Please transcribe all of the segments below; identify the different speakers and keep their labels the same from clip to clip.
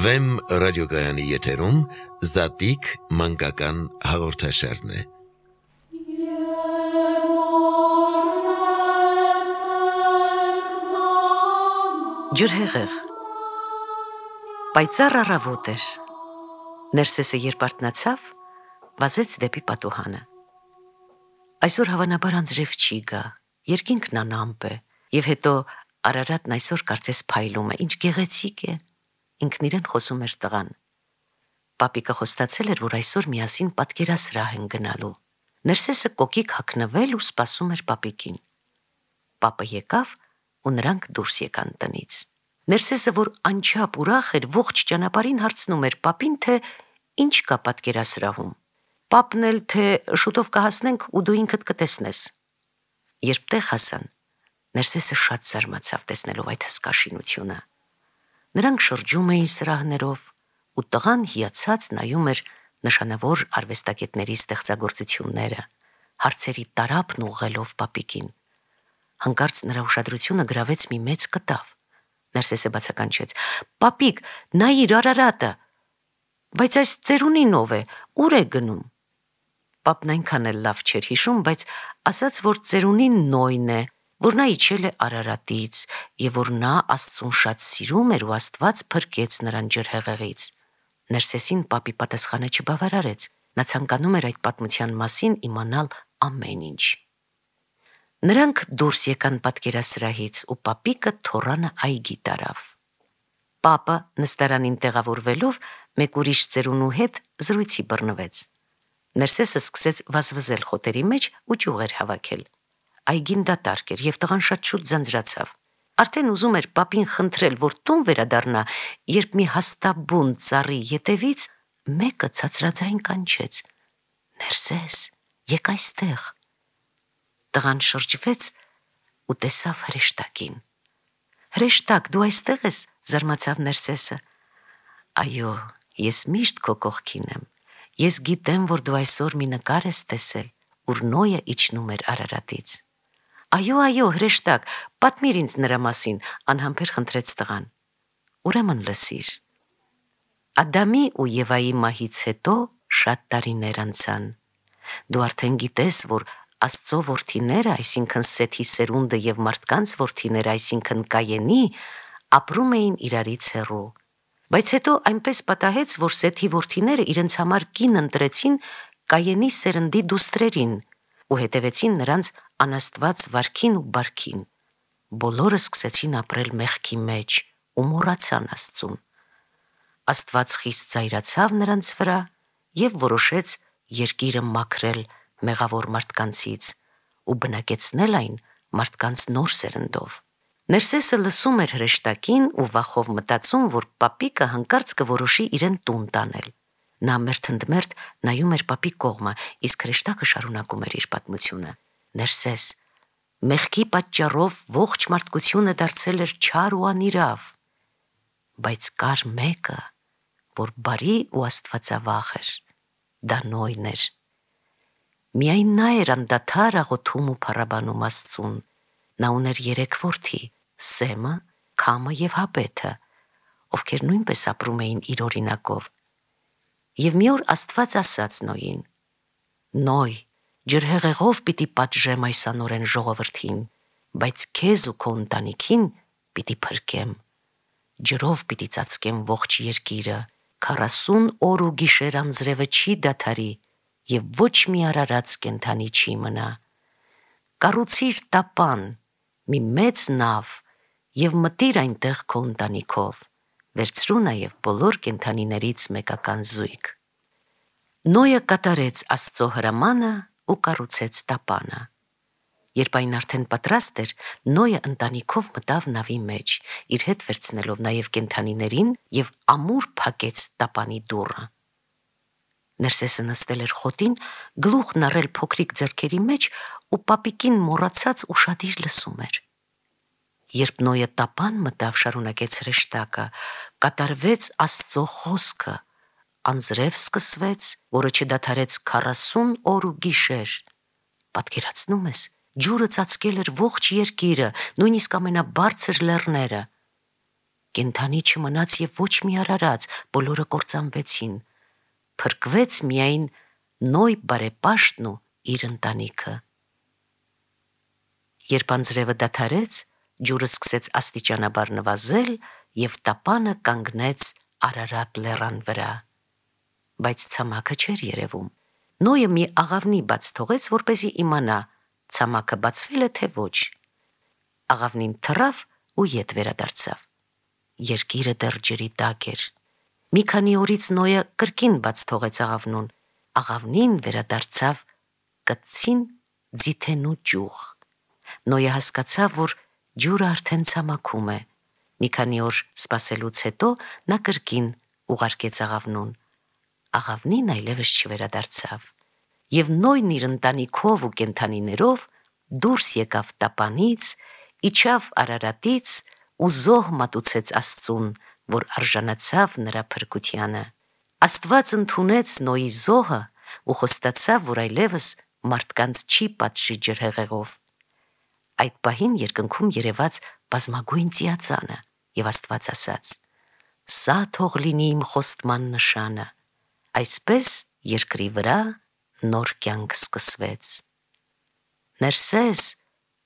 Speaker 1: Վեմ ռադիոգայանի եթերում Զատիկ մանկական հաղորդաշարն է։
Speaker 2: Ջրհեղեղ Պայծառ առավոտ էր։ Ներսեսը երբ արթնացավ, վազեց դեպի պատուհանը։ Այսօր հավանաբար անձրև չի գա, երկինքն անամպ է, եւ հետո Արարատն այսօր կարծես փայլում է, ինչ գեղեցիկ է, ինքն իրեն խոսում էր տղան։ Պապիկը խոստացել էր, որ այսօր միասին պատկերասրահ են գնալու։ Ներսեսը կոկիկ հագնվել ու սպասում էր պապիկին։ Պապը եկավ ու նրանք դուրս եկան տնից։ Ներսեսը, որ անչափ ուրախ էր, ողջ ճանապարհին հարցնում էր պապին, թե ինչ կա պատկերասրահում։ Պապն էլ թե շուտով կհասնենք ու դու ինքդ կտեսնես։ Երբ տեղ հասան, Ներսեսը շատ զարմացավ տեսնելով այդ հսկա շինությունը։ Նրանք շրջում էին սրահներով, ու տղան հիացած նայում էր նշանավոր արվեստագետների ստեղծագործությունները, հարցերի տարափն ուղղելով պապիկին։ Հանկարծ նրա ուշադրությունը գրավեց մի մեծ կտավ։ Ներսեսը բացականչեց. «Պապիկ, նայիր Արարատը, բայց այս ծերունին ով է, ուր է գնում»։ Պապն այնքան էլ լավ չէր հիշում, բայց ասաց, որ ծերունին Նոյն է, որ նա իջել է Արարատից եւ որ նա Աստծուն շատ սիրում էր ու Աստված փրկեց նրան ջրհեղեղից։ Ներսեսին պապի պատասխանը չբավարարեց։ Նա ցանկանում էր այդ պատմության մասին իմանալ ամեն ինչ։ Նրանք դուրս եկան պատկերասրահից ու պապիկը թոռանը այգի տարավ։ Պապը նստարանին տեղավորվելով մեկ ուրիշ ծերունու հետ զրույցի բռնվեց։ Ներսեսը սկսեց վազվզել խոտերի մեջ ու ճյուղեր հավաքել։ Այգին դատարկ էր եւ տղան շատ շուտ ձանձրացավ։ Արդեն ուզում էր պապին խնդրել, որ տուն վերադառնա, երբ մի հաստաբուն ծառի ետևից մեկը ցածրաձայն կանչեց. «Ներսես, եկ այստեղ»։ Տղան շրջվեց ու տեսավ հրեշտակին։ «Հրեշտակ, դու այստեղ ես», զարմացավ Ներսեսը։ «Այո, ես միշտ քո կողքին եմ։ Ես գիտեմ, որ դու այսօր մի նկար ես տեսել, ուր Նոյը իջնում էր Արարատից»։ Այո, հրեշտակ, պատմիր ինձ նրա մասին», անհամբեր խնդրեց տղան։ «Ուրեմն լսիր։ Ադամի ու Եվայի մահից հետո շատ տարիներ անցան։ Դու արդեն գիտես, որ Աստծո որդիները, այսինքն Սեթի սերունդը եւ մարդկանց որդիները, այսինքն Կայենի, ապրում էին իրարից հեռու։ Բայց հետո այնպես պատահեց, որ Սեթի որդիները իրենց համար կին ընտրեցին Կայենի սերնդի դուստրերին ու հետևեցին նրանց անաստված վարքին ու բարքին։ Բոլորը սկսեցին ապրել մեղքի մեջ ու մոռացան Աստծուն։ Աստված խիստ զայրացավ նրանց վրա եւ որոշեց երկիրը մաքրել մեղավոր մարդկանցից ու բնակեցնել այն մարդկանց նոր սերնդով։ Ներսեսը լսում էր հրեշտակին ու վախով մտածում, որ պապիկը հանկարծ կորոշի իրեն տուն տանել։ Նա մերթընդմերթ նայում էր պապի կողմը, իսկ հրեշտակը շարունակում էր իր պատմությունը։ Ներսես, մեղքի պատճառով ողջ մարդկությունը դարձել էր չար ու անիրավ, բայց կար մեկը, որ բարի ու աստվածավախ էր, դա Նոյն էր։ Միայն նա էր անդադար աղոթում ու փառաբանում Աստծուն։ Նա ուներ 3 որդի՝ Սեմը, Քամը եւ Հապեթը, ովքեր նույնպես ապրում էին իր օրինակով։ Եվ մի օր Աստված ասաց Նոյին. «Նոյ, ջրհեղեղով պիտի պատժեմ այս անօրեն ժողովրդին, բայց քեզ ու քո ընտանիքին պիտի փրկեմ։ Ջրով պիտի ծածկեմ ողջ երկիրը, 40 օր ու գիշեր անձրևը չի դադարի եւ ոչ մի արարած կենդանի չի մնա։ Կառուցիր տապան, մի մեծ նավ եւ մտիր այնտեղ քո ընտանիքով, վերցրու նաեւ բոլոր կենդանիներից մեկական զույգ»։ Նոյը կատարեց Աստծո հրամանը ու կառուցեց տապանը։ Երբ այն արդեն պատրաստ էր, Նոյը ընտանիքով մտավ նավի մեջ, իր հետ վերցնելով նաեւ կենդանիներին եւ ամուր փակեց տապանի դուռը։ Ներսեսը նստել էր խոտին, գլուխն առել փոքրիկ ձեռքերի մեջ ու պապիկին մոռացած ուշադիր լսում էր։ Երբ Նոյը տապան մտավ, շարունակեց հրեշտակը, կատարվեց Աստծո խոսքը, անձրև սկսվեց, որը չդադարեց 40 օր ու գիշեր։ Պատկերացնում ես, ջուրը ծածկել էր ողջ երկիրը, նույնիսկ ամենաբարձր լեռները։ կենդանի չմնաց եւ ոչ մի արարած, բոլորը կործանվեցին։ Փրկվեց միայն Նոյ բարեպաշտն ու իր ընտանիքը։ Երբ անձրևը դադարեց, ջուրը սկսեց աստիճանաբար նվազել եւ տապանը կանգնեց Արարատ լեռան վրա։ Բայց ցամաքը չէր երևում։ Նոյը մի աղավնի բաց թողեց, որպեսզի իմանա, ցամաքը բացվել է թե ոչ։ Աղավնին թռավ ու ետ վերադարձավ։ Երկիրը դեռ ջրի տակ էր։ Մի քանի օրից Նոյը կրկին բաց թողեց աղավնուն։ Աղավնին վերադարձավ կծին ձիթենու ճյուղ։ Նոյը հասկացավ, որ ջուրը արդեն ցամաքում է։ Մի քանի օր սպասելուց հետո նա կրկին ուղարկեց աղավնուն։ Աղավնին այլևս չվերադարձավ։ Եվ Նոյն իր ընտանիքով ու կենդանիներով դուրս եկավ տապանից, իջավ Արարատից ու զոհ մատուցեց Աստծուն, որ արժանացավ նրա փրկությանը։ Աստված ընդունեց Նոյի զոհը ու խոստացավ, որ այլևս մարդկանց չի պատժի ջրհեղեղով։ Այդ պահին երկնքում երևաց բազմագույն ծիածանը, եւ Աստված ասաց. «Սա թող լինի իմ խոստման նշանը»։ Այսպես երկրի վրա նոր կյանք սկսվեց։ «Ներսես»,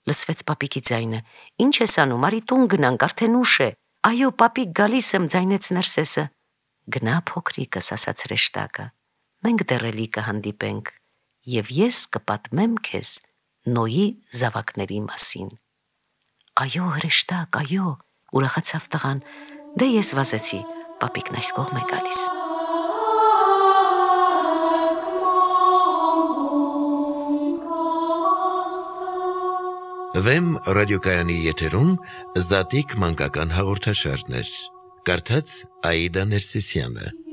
Speaker 2: լսվեց պապիկի ձայնը, «ինչ ես անում, արի տուն գնանք, արդեն ուշ է»։ «Այո, պապիկ, գալիս եմ», ձայնեց Ներսեսը։ «Գնա փոքրիկս», ասաց հրեշտակը, «մենք դեռ էլի կհանդիպենք, եւ ես կպատմեմ քեզ Նոյի զավակների մասին»։ «Այո, հրեշտակ, այո», ուրախացավ տղան, «դե ես վազեցի, պապիկն այս կողմ է գալիս»։
Speaker 1: Վեմ ռադիոկայանի եթերում Զատիկ մանկական հաղորդաշարներ։ Կարդաց Աիդա Ներսիսյանը։